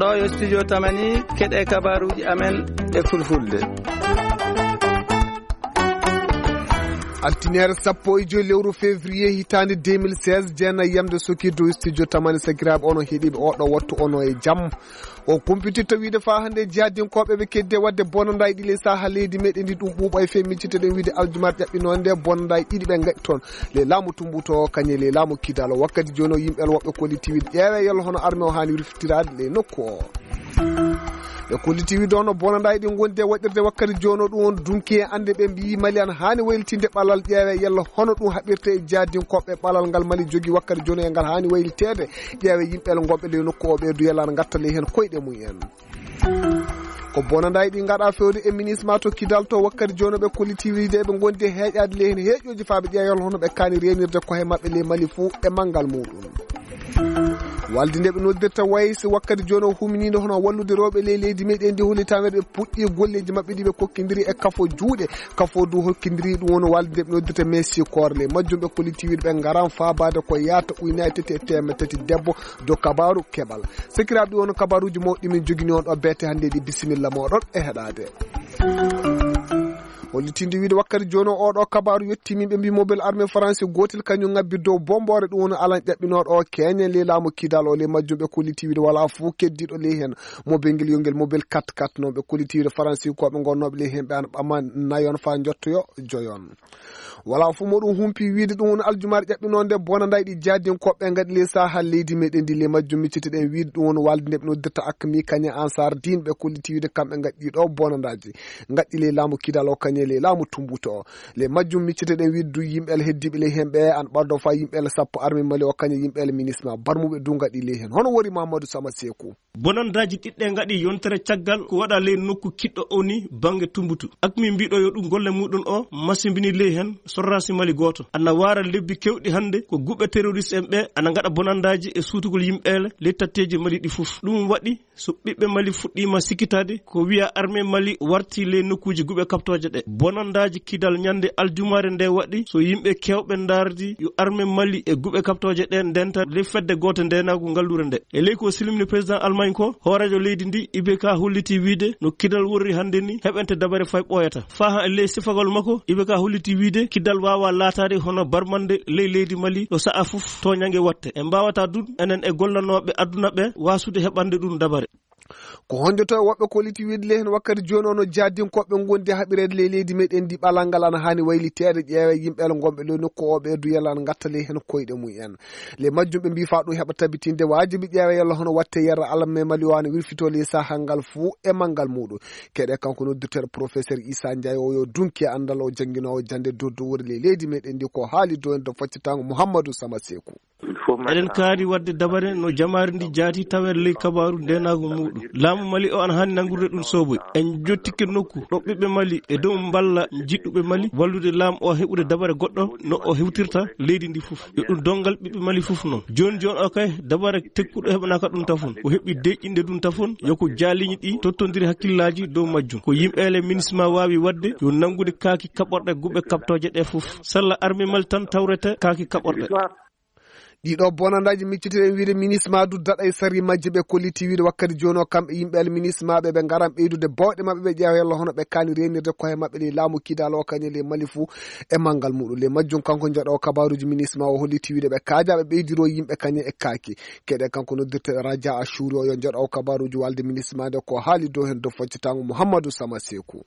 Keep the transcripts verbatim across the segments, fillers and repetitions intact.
O yo studio Tamani, keɗe kabaruuji amen e fulfulde. Altine sappo e joy lewru février hitaande deux mille seize, jeena yamde sokirde o studio Tamani. Sakiraaɓe, onon heɗiiɓe oɗo wattu, onon e jam. O kumpitirta wiide faa hannde jihadinkooɓe ɓe keddi e waɗde bonandaaji ɗi ley saha leydi meɗen ndi ɗum ɓuuɓa e fee micciteɗen wiide aljumar ƴaɓɓinoonde bonandaaji ɗiɗi ɓe ngaɗi toon. Ley laamu Tumbuto o, kañum e ley laamu Kidal o. Wakkati jooni o, yimɓe el woɓɓe kolliti wiide ƴeewe yalla hono armée o haani wirfitiraade ley nokku o. Ɓe kolliti wiide hono bonandaaji ɗi ngondi e waɗirde wakkati jooni o, ɗum won dunki e annde ɓe mbiyi Mali ana haani waylitinde ɓalal ƴeewe yalla hono ɗum haɓirte e jihadinkooɓe ɓalal ngal Mali jogi wakkati jooni o e ngal haani wayliteede. Ƴeewe yimɓe el ngonɓe ley nokku o ɓe du yalla ana ngatta ley heen koyɗe mum en. Ko bonandaaji ɗi ngaɗa fewde e minisma to Kidal to wakkati jooni o ɓe kolliti wiide eɓe ngondi e heeƴaade ley heen heeƴooji faa ɓe ƴeewa yalla hono ɓe kaani reenirde kohe maɓɓe ley Mali fuu e manngal muuɗum. Walde nde ɓe noddirta waysi wakkati jooni o huminiinde hono wallude rewɓe ley leydi meɗen ndi holli taweede ɓe puɗɗi golleeji maɓɓe ɗi ɓe kokkindiri e kafo juuɗe. Kafo du hokkindiri ɗum woni walde nde ɓe noddirta Messi Koor ley majjum ɓe kolliti wiide ɓe ngaran faabaade ko yaata uynaye tati e teemedde tati debbo do kabaaru keɓal. Sakiraaɓe, ɗi won kabaruuji mawɗi min jogini on ɗo beete hannde ɗi. Bisimilla mooɗon e heɗaade. Hollitinde wiide wakkati jooni o, oɗo kabaaru yetti min ɓe mbi mobile armée France gootel kañum ngabbi dow bomboore ɗum woni alan ƴaɓɓinooɗo o keeñen ley laamu Kidal o. Ley majjum ɓe kolliti wiide walaa fof keddiiɗo ley heen mobile ngel yo ngel mobile quatre quatre noon ɓe kolliti wiide France ko ɓe ngonnooɓe ley heen ɓe ana ɓama nayon faa njottoyo joyon. Walaa fof moɗum humpi wiide ɗum woni aljumar ƴaɓɓinoonde bonandaaji ɗi jihadinkooɓe ngaɗi ley saha leydi meɗen ndi. Ley majjum micciteɗen wiide ɗum woni walde nde ɓe noddirta Akmi kañe Ansar Din ɓe kolliti wiide kamɓe ngaɗi ɗo bonandaaji. Ngaɗi ley laamu Kidal o kañe ley laamu Tumbuto o. Ley majjum micciteɗen wiide du yimɓe el heddiiɓe ley heen ɓe an ɓaddo faa yimɓe el sappo armée Mali o kañe yimɓe el minisma barmuɓe du ngaɗi ley heen. Hono wori Mamadou Sama Seeku. Bonandaaji ɗiɗɗe ngaɗi yontere caggal ko waɗa ley nokku kiɗɗo o ni bannge Tumbutu. Akmi mbiɗo yo ɗum golle muɗum o masimbini ley heen sorraasi Mali gooto. Ana waara lebbi kewɗi hannde ko guɓe terroriste en ɓe ana ngaɗa bonandaaji e suutugol yimɓe ele ley tatteeji Mali ɗi fof. Ɗum waɗi so ɓiɓɓe Mali fuɗɗiima sikkitaade ko wiya armée Mali warti ley nokkuuji guɓe kaɓtooje ɗe. Bonandaaji Kidal ñande aljumaare nde waɗi so yimɓe keewɓe ndaardi yo armée Mali e guɓe kaɓtooje ɗe ndenta ley fedde goote ndeenaagu ngalluure nde. E ley ko silmini président Allemagne ko, hooreejo leydi ndi, I B K, holliti wiide no Kidal worri hannde ni heɓente dabare fay ɓooyata. Faa e ley sifagol makko, I B K holliti wiide Kidal waawaa laataade hono barmande ley leydi Mali ɗo sa'a fof tooñange watte. En mbaawataa du enen e gollanooɓe aduna ɓe waasude heɓande ɗum dabare. Ko honjoto e woɓɓe kolliti wiide ley heen wakkati jooni o no jihadinkooɓe ngondi haɓireede ley leydi meɗen ndi ɓalal ngal ana haani wayliteede ƴeewe yimɓe el ngonɓe ley nokku o ɓe du yalla ana ngatta ley heen koyɗe mum en. Ley majjum ɓe mbii faa ɗum heɓa tabitinde waajibi ƴeewe yalla hono watte yerra alam me Mali o ana wirfitoo ley sahal ngal fuu e manngal muuɗum. Keɗe kanko noddirteeɗo professeur Issa Ndiaye o yo dunki e anndal o jannginoowo jannde dow dow wori ley leydi meɗen ndi ko haali dow en dow faccitango Mouhamadou Sama Seeku. Eɗen kaari waɗde dabare no jamaare ndi jaati taweede ley kabaaru ndeenaagu muuɗum. Laamu Mali o ana haani nanngurde ɗum sooboy. En jottike nokku ɗo ɓiɓɓe Mali e dow mballa jiɗɗuɓe Mali wallude laamu o heɓude dabare goɗɗo no o hewtirta leydi ndi fof. Yo ɗum donngal ɓiɓɓe Mali fof noon. Jooni jooni o kay dabare tekkuɗo heɓanaaka ɗum tafon. O heɓi deƴƴinde ɗum tafon. Yo ko jaaliñi ɗi tottondiri hakkillaaji dow majjum. Ko yimɓe ele minisma waawi waɗde yo nanngude kaaki kaɓorɗe guɓe kaɓtooje ɗe fof. Salla armée Mali tan tawrete kaaki kaɓorɗe. Ɗiɗo bonandaaji miccitiɗen wiide minisma du daɗa e sari majje ɓe kolliti wiide wakkati jooni o kamɓe yimɓe alminisma ɓe ɓe ngaran ɓeydude bawɗe maɓɓe ɓe ƴeewa yalla hono ɓe kaani reenirde koye maɓɓe ley laamu kidal o kañe ley Mali fuu e manngal muɗum. Ley majjum kanko njaɗo kabaruuji minisma o holliti wiide ɓe kaajaaɓe ɓeydiro yimɓe kañe e kaaki. Keɗe kanko noddirteɗo Raja Ashuri o yo njaɗo kabaruuji walde minisma nde ko haali dow heen dow foccatango Muhammadu Sama Seeku.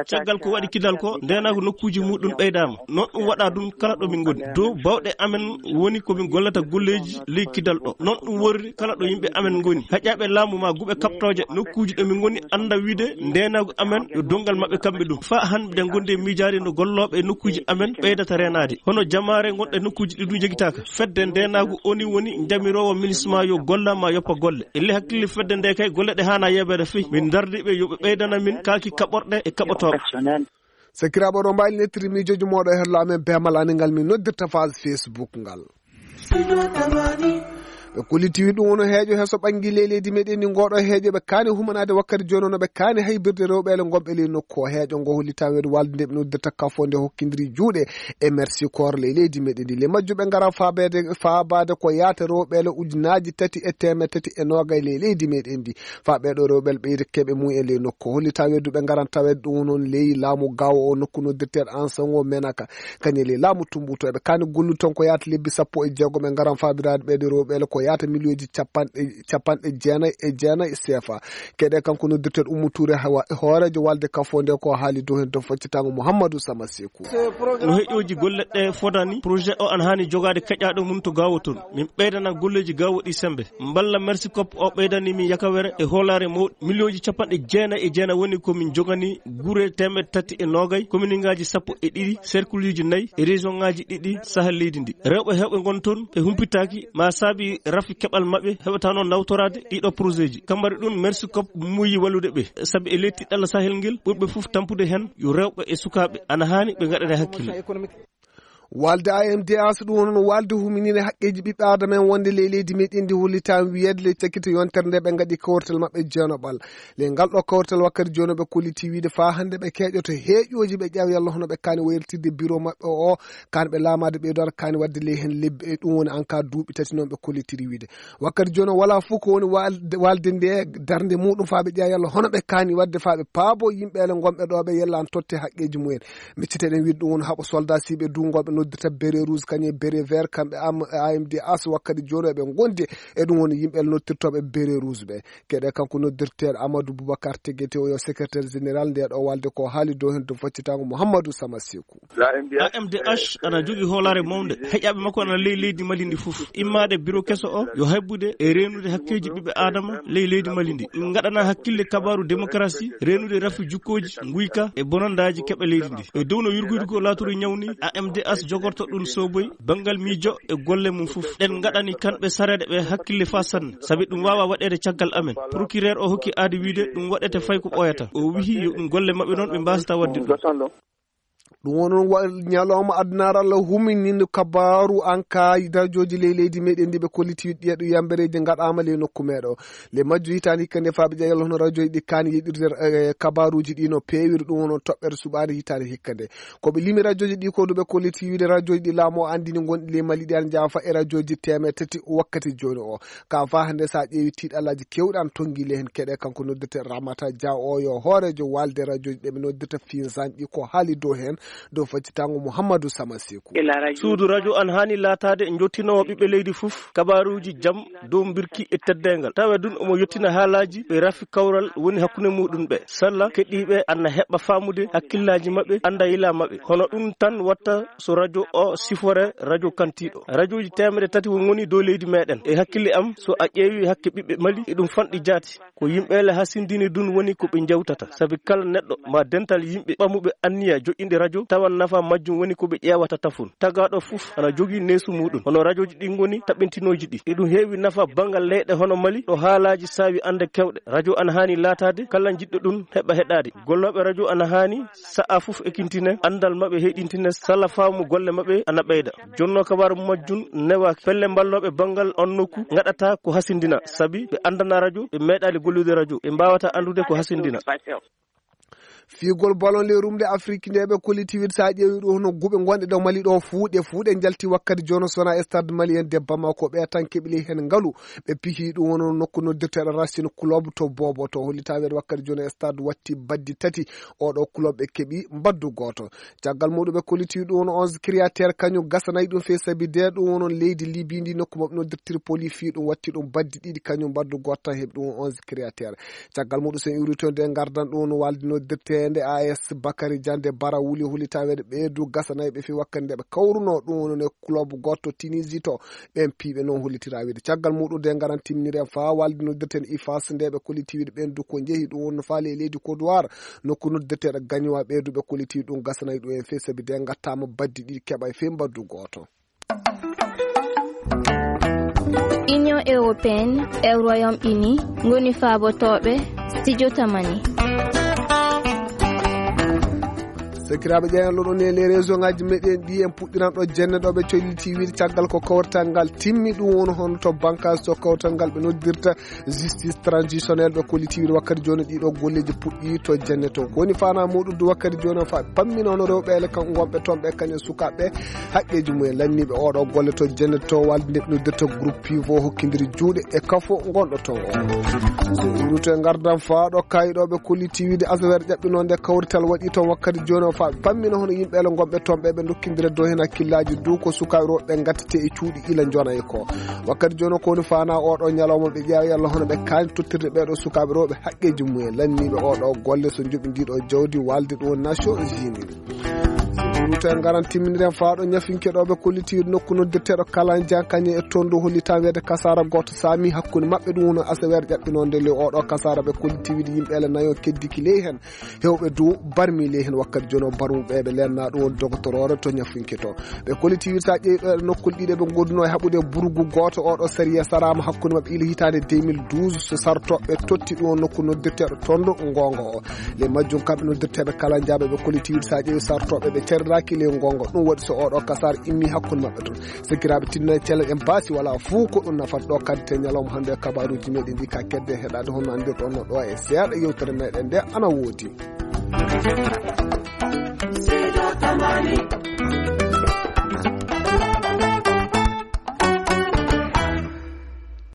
Caggal ko waɗi kidal ko, ndeenaagu nokkuuji muuɗum ɓeydaama. Noon ɗum waɗa ɗum kala ɗo min ngoni. Dow bawɗe amen woni ko min gollata golleeji ley kidal ɗo. Noon ɗum worri kala ɗo yimɓe amen ngoni. Haƴaaɓe laamu maa guɓe kaɓtooje nokkuuji ɗo min ngoni annda wiide ndeenaagu amen yo donngal maɓɓe kamɓe ɗum. Faa hannde ngonde miijaade no gollooɓe e nokkuuji amen ɓeydata reenaade. Hono jamaare ngonɗe nokkuuji ɗi ɗum jogitaaka. Fedde ndeenaagu oni woni njamiroowo minisma yo golla maa yoppa golle. E ley hakkille fedde nde kay golle ɗe haana yeebeede fey. Min ndardi ɓe yo ɓe ɓeydana min kaaki kaɓorɗe e kaɓotooɓe. Sakiraaɓe, oɗo mbaawi nettirde miijooji mooɗo e hello amen beemal ani ngal min noddirta page Facebook ngal. Ɓe kolliti wi ɗum woni heejo heeso ɓanngi ley leydi meɗen ndi. Ngoɗo heejo ɓe kaani humanaade wakkati jooni no ɓe kaani haybirde rewɓe ele ngonɓe ley nokku o. Heejo ngo holli tan weedu walde nde ɓe noddirta kafo nde hokkindiri juuɗe e Mercy Corps ley leydi meɗen ndi. Le majjuɓe ngara faabeede, faabaade ko yaata rewɓe ele ujunaaji tati e teemeɗe tati e noogay ley leydi meɗen ndi. Faa ɓeeɗo rewɓe ele ɓeyde keɓe mum en ley nokku o. Holli tan weedu ɓe ngaran taweede ɗum noon ley laamu gawo o nokku noddirteeɗo Ansango Menaka. Kañum e ley laamu Tumbutu eɓe kaani gollude toon ko yaata lebbi sappo e jeegom e ngaran faabiraade ɓeeɗo rewɓe ele ko yaata miliyonji capanɗe, capanɗe jeenayi e jeenayi sefa. Keɗe kanko noddirteeɗo Ummu Tuure hawa hooreejo walde kafo nde ko haali dow heen dow faccitango Mouhamadou Sama Seku. No heƴooji golle ɗe fodani, projet o ana haani jogaade keƴaaɗo mum to gawo toon. Min ɓeydana golleeji gawo ɗi sembe. Mballa Mercy Corps o ɓeydani min yakawere e hoolaare mawɗo miliyonji capanɗe jeenayi e jeenayi woni ko min jogani gure teemeɗe tati e noogay, kominingaaji sappo e ɗiɗi, serkuluuji nayi e regiongaaji ɗiɗi sahal leydi ndi. Rewɓe heewɓe ngon toon ɓe humpitaaki ma saabi rafi keɓal maɓɓe heɓata noon nawtoraade ɗiɗo projetji. Kambari ɗum Mercy Corps muuyi wallude ɓe, sabi e ley tiɗɗalla sahel ngel ɓurɓe fof tampude heen yo rewɓe e sukaaɓe ana haani ɓe ngaɗane hakkille. Walde A M D A so ɗum wonno walde huminire haqqeeji ɓiɓɓe aadama en wonde ley leydi meɗen ndi hollitaa wiyeede ley cakkito yontere nde ɓe ngaɗi kawrital maɓɓe jeenoɓal. Ley ngal ɗo kawrital wakkati jooni ɓe kolliti wiide faa hannde ɓe keeƴoto heeƴooji ɓe ƴeewa yalla hono ɓe kaani wayltirde biro maɓɓe o, kaani ɓe laamaade ɓeydo aɗa kaani waɗde ley heen lebbi e ɗum woni en ka duuɓi tati noon ɓe kollitiri wiide. Wakkati jooni o walaa fof ko woni walde, walde nde darnde muɗum faa ɓe ƴeewa yalla hono ɓe kaani waɗde faa ɓe paabo yimɓe ele ngonɓe ɗo ɓe yella an totte haqqeeji mumen. Micciteɗen wiide ɗum woni haɓo soldat siɓe duungo ɓe noddirta beret rouge kañum e beret vert kamɓe am-, A M D A so wakkati jooni eɓe ngondi e ɗum woni yimɓe noddirtooɓe beret rouge ɓe. Keɗe kanko noddirteeɗo Amadou Boubacar Tegete o yo secrétaire général nde ɗo walde ko haali dow heen dow faccitango Mouhamadou Sama Seku. A M D H ana jogii hoolaare mawnde. Heƴaaɓe makko ana ley leydi Mali ndi fof. Immaade biro keso o yo haybude e reenude hakkeeji ɓiɓɓe aadama ley leydi Mali ndi. Ngaɗana hakkille kabaaru démocratie, reenude rafi jukkooji, nguyka e bonandaaji keɓe leydi ndi. E dow no yurguydu ko laaturu ñawni, A M D H jogorto ɗum soboy banngal miijo e golle mum fof. Ɗen ngaɗani kamɓe sareeɗe ɓe hakkille faa sanne, sabi ɗum waawaa waɗeede caggal amen. Procureur o hokki aadi wiide ɗum waɗete fay ko ɓooyata. O wihi yo ɗum golle maɓɓe noon ɓe mbaasata waɗde ɗum. Ɗum woni wa-, ñalawma adunaaru Allah huminiino kabaaru an ka rajooji ley leydi meɗen ndi ɓe kolliti ɗiya ɗum yambereeji ngaɗaama ley nokku meɗo. Ley majju hitaande hikka nde faa ɓe ƴeewa yalla hono rajooji ɗi kaani yeɗirde, eh, kabaaruuji ɗi no peewiri ɗum woni toɓɓere suɓaade hitaande hikka nde. Ko ɓe limi rajooji ɗi ko ɗum ɓe kolliti wiide rajooji ɗi laamu o anndini ngonɗi ley Mali ɗi ana njaafa e rajooji teemeɗe tati wakkati jooni o. Ka faa hannde so a ƴeewi tiiɗalaaji keewɗi ana tonngi ley heen keɗe kanko noddete Ramata Dia o yo hooreejo walde rajooji ɗe ɓe noddata finsanɗi ko haali dow heen dow faccitango Mouhamadou Sama Seku. Suudu rajo an haani laataade njottinoowo ɓiɓɓe leydi fof kabaaruuji jam dow mbirki e teddeengal. Tawa ɗum omo yottina haalaaji ɓe rafi kawral woni hakkunde muɗum ɓe. Salla keɗiiɓe ana heɓa faamude hakkillaaji maɓɓe, annda yila maɓɓe. Hono ɗum tan watta so rajo o sifore rajo kantiiɗo. Rajooji teemeɗe tati won ngoni dow leydi meɗen. E hakkille am, so a ƴeewi hakke ɓiɓɓe Mali, e ɗum fanɗi jaati. Ko yimɓe le hasindini ɗum woni ko ɓe njawtata. Sabi kala neɗɗo ma dental yimɓe ɓamuɓe anniya joƴƴinde rajo, tawan nafa majjum woni ko ɓe ƴeewata tafon. Tagaaɗo fof ana jogii neesu muɗum. Hono rajooji ɗi ngoni taɓintinooji ɗi. E ɗum heewi nafa banngal leyɗe hono Mali, ɗo haalaaji saawi annde keewɗe. Rajo ana haani laataade kala jiɗɗo ɗum heɓa heɗaade. Gollooɓe rajo ana haani sa'a fof ekintine, anndal maɓɓe heyɗintine, sala faamu golle maɓɓe ana ɓeyda. Jonno kabaaru majjum newaaki. Pelle mballooɓe banngal on nokku ngaɗata ko hasindina, sabi ɓe anndana rajo, ɓe meeɗaali gollude rajo, ɓe mbaawata anndude ko hasindina. Fiigol ballon ley rumde Afrik nde ɓe kolliti wiide so a ƴeewi ɗo hono guɓe ngonɗe ɗo Mali ɗo fuu, ɗe fuu ɗe njalti wakkati jono sona e stade malien de Bamako ɓe tan keɓi ley heen ngalu. Ɓe pihi ɗum woni nokku noddirteeɗo Racing Club to Bobo to hollita weeɗo wakkati jooni e stade watti baddi tati. Oɗo club ɓe keɓi mbaddu gooto. Caggal muɗum ɓe kolliti ɗum woni onze créateur kañum gasanayi ɗum fee sabi de ɗum woni leydi Libi ndi nokku maɓɓe noddir Tripoli fii ɗum watti ɗum baddi ɗiɗi kañum mbaddu gooto tan heɓi ɗum woni onze créateur. Caggal muɗum so en iwri toon de ngardan ɗum woni walde noddirteende A S Bakary Diande Bara wuli hollita weeɗo ɓeydu gasanayi ɓe fii wakkati nde ɓe kawruno ɗum woni club gooto Tunisie to. Ɓeen piiɓe noon hollitiraa wiide caggal muɗum de ngaran timminiri en faa walde noddirten ifas nde ɓe kolliti wiide ɓeen du ko njehi ɗum wonno faa ley leydi Côte d'Ivoire nokku noddirteeɗo Gagnoa ɓee du ɓe kolliti ɗum gasanayi ɗum en fee sabi de ngattaama baddi ɗiɗi keɓa e fee mbaddu gooto. Union européenne e Royaume-Uni ngoni faabotooɓe studio Tamani. Sakiraaɓe ƴeewen loɗo ne les région ngaji meɗen ɗi en puɗɗiran ɗo jenne ɗo ɓe colliti wiide caggal ko kawrital ngal timmi ɗum woni hono to bankas to kawrital ngal ɓe noddirta justice transitionnel ɓe kolliti wiide wakkati jooni ɗiɗo golleji puɗɗi to jenne to. Ko woni fana muɗum du wakkati jooni o fa pammina hono rewɓe ele kan wonɓe toon ɓe kañum sukaaɓe haqqeji mumen lanniiɓe oɗo golle to jenne to walde nde ɓe noddirta groupe pivo hokkidiri juuɗe e kafo gonɗo toon o. So iwruto e ngardan faaɗo kayɗo ɓe kolliti wiide asaweere ƴaɓɓinonde kawrital waɗi toon wakkati jooni o fa pammina hono yimɓe ele gonɓe toon ɓe ɓe dokkindira dow heen hakkillaaji dow ko sukaaɓe rewɓe ɓe ngattete e cuuɗi ila njonayi ko. Wakkati jooni o ko woni fana oɗo ñalawma ɓe ƴeewa yalla hono ɓe kaani tottirde ɓeɗo sukaaɓe rewɓe haqqeji mumen lanniiɓe oɗo golle so joɓi ndiɗo jawdi walde ɗo Nations Unies. Ruta ngaran timminiren faaɗo ñafinke ɗo ɓe kolliti nokku noddirteɗo kalan jankañe e toon ɗo hollitan weede kasara goto saami hakkunde maɓɓe ɗum woni asaweere ƴaɓɓinonde le oɗo kasara ɓe kolliti wiide yimɓe ele nayo keddiki ley heen hewɓe dow barmi ley heen wakkati jooni o barmuɓe ɓe lenna ɗum woni dogotoroore to ñafinke to. Ɓe kolliti wiide sa ƴeewi ɗo e nokkol ɗiɗi ɓe gonduno e haɓude burgu goto oɗo sariya sarama hakkunde maɓɓe ila hitande deux mille douze so sartoɓe totti ɗum o nokku noddirteɗo toon ɗo ngongo o. Le majjum kamɓe noddirteɓe kala jaaɓe ɓe kolliti wiide sa ƴeewi sartoɓe ɓe ceriraki le ngongo ɗum waɗi so oɗo kasar immi hakkunde maɓɓe toon. Sakiraaɓe tinno e cellal en baasi wala fuu ko ɗum nafata ɗo kadi te ñalawma hannde e kabaruuji meɗen ɗi ka kedde heɗade hono anndirɗon no ɗo e seeɗa yewtere meɗen nde ana woodi.